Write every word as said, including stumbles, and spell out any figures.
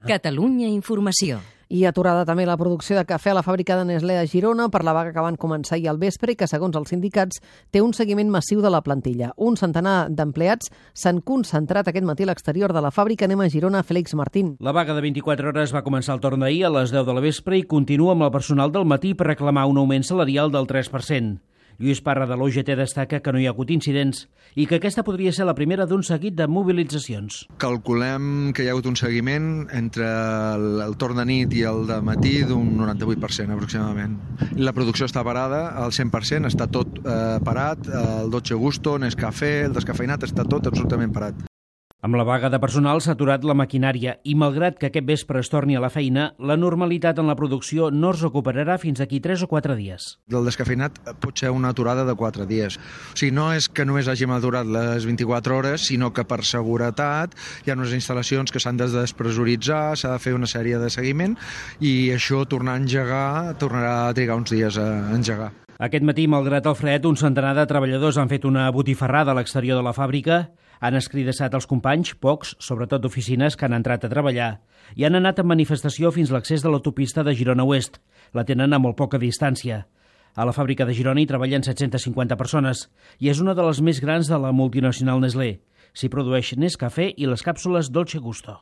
Catalunya Informació. I aturada també la producció de cafè a la fàbrica de Nestlé a Girona per la vaga que van començar ahir al vespre i que, segons els sindicats, té un seguiment massiu de la plantilla. Un centenar d'empleats s'han concentrat aquest matí a l'exterior de la fàbrica. Anem a Girona, Félix Martín. La vaga de vint-i-quatre hores va començar al torn d'ahir a les deu de la vespre i continua amb el personal del matí per reclamar un augment salarial del tres per cent. Lluís Parra de l'O G T destaca que no hi ha hagut incidents i que aquesta podria ser la primera d'un seguit de mobilitzacions. Calculem que hi ha hagut un seguiment entre el, el torn de nit i el de matí d'un noranta-vuit per cent aproximadament. La producció està parada al cent per cent, està tot eh, parat, el Dolce Gusto, Nescafé, el descafeinat, està tot absolutament parat. Amb la vaga de personal s'ha aturat la maquinària i, malgrat que aquest vespre es torni a la feina, la normalitat en la producció no es recuperarà fins d'aquí tres o quatre dies. El descafeinat pot ser una aturada de quatre dies. O sigui, no és que només hàgim aturat les vint-i-quatre hores, sinó que per seguretat hi ha unes instal·lacions que s'han de despressuritzar, s'ha de fer una sèrie de seguiment i això, tornar a engegar, tornarà a trigar uns dies a engegar. Aquest matí, malgrat el fred, un centenar de treballadors han fet una botifarrada a l'exterior de la fàbrica, han escridassat els companys, pocs, sobretot d'oficines, que han entrat a treballar, i han anat en manifestació fins a l'accés de l'autopista de Girona Oest. La tenen a molt poca distància. A la fàbrica de Girona hi treballen set-centes cinquanta persones i és una de les més grans de la multinacional Nestlé. S'hi produeix Nescafé i les càpsules Dolce Gusto.